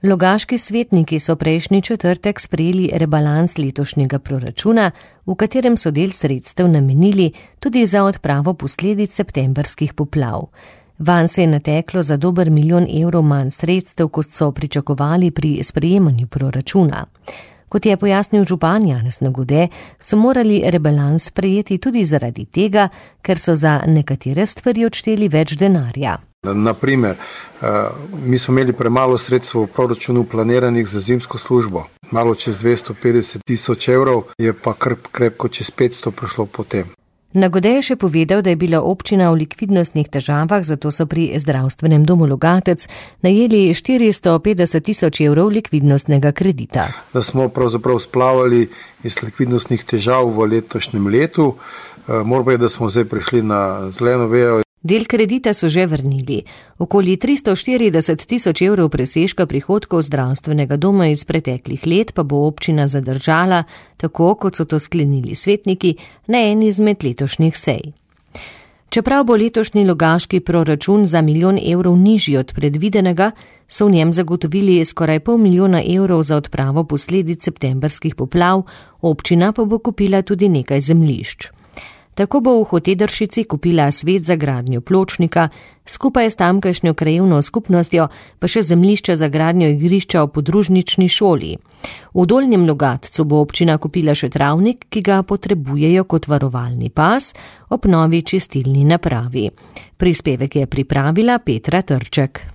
Logaški svetniki so prejšnji četrtek sprejeli rebalans letošnjega proračuna, v katerem so del sredstev namenili tudi za odpravo posledic septembrskih poplav. Vanj se je nateklo za dober 1 milijon evrov manj sredstev, kot so pričakovali pri sprejemanju proračuna. Kot je pojasnil župan Janez Nagode, so morali rebalans sprejeti tudi zaradi tega, ker so za nekatere stvari odšteli več denarja. Naprimer, mi smo imeli premalo sredstev v proračunu planiranih za zimsko službo. Malo čez 250 tisoč evrov, je pa krepko čez 500 prišlo potem. Nagode je še povedal, da je bila občina v likvidnostnih težavah, zato so pri zdravstvenem domu Logatec najeli 450 tisoč evrov likvidnostnega kredita. Da smo pravzaprav splavali iz likvidnostnih težav v letošnjem letu, moram reči, da smo zdaj prišli na zeleno vejo. Del kredita so že vrnili. Okoli 340 tisoč evrov presežka prihodkov zdravstvenega doma iz preteklih let pa bo občina zadržala, tako kot so to sklenili svetniki na eni izmed letošnjih sej. Čeprav bo letošnji logaški proračun za 1 milijon evrov nižji od predvidenega, so v njem zagotovili skoraj 500 milijona evrov za odpravo posledic septembrskih poplav, občina pa bo kupila tudi nekaj zemljišč. Tako bo v Hotedršici kupila svet za gradnjo pločnika, skupaj s tamkajšnjo krajevno skupnostjo pa še zemljišče za gradnjo igrišča v podružnični šoli. V Dolnjem Logatcu bo občina kupila še travnik, ki ga potrebujejo kot varovalni pas ob novi čistilni napravi. Prispevek je pripravila Petra Trček.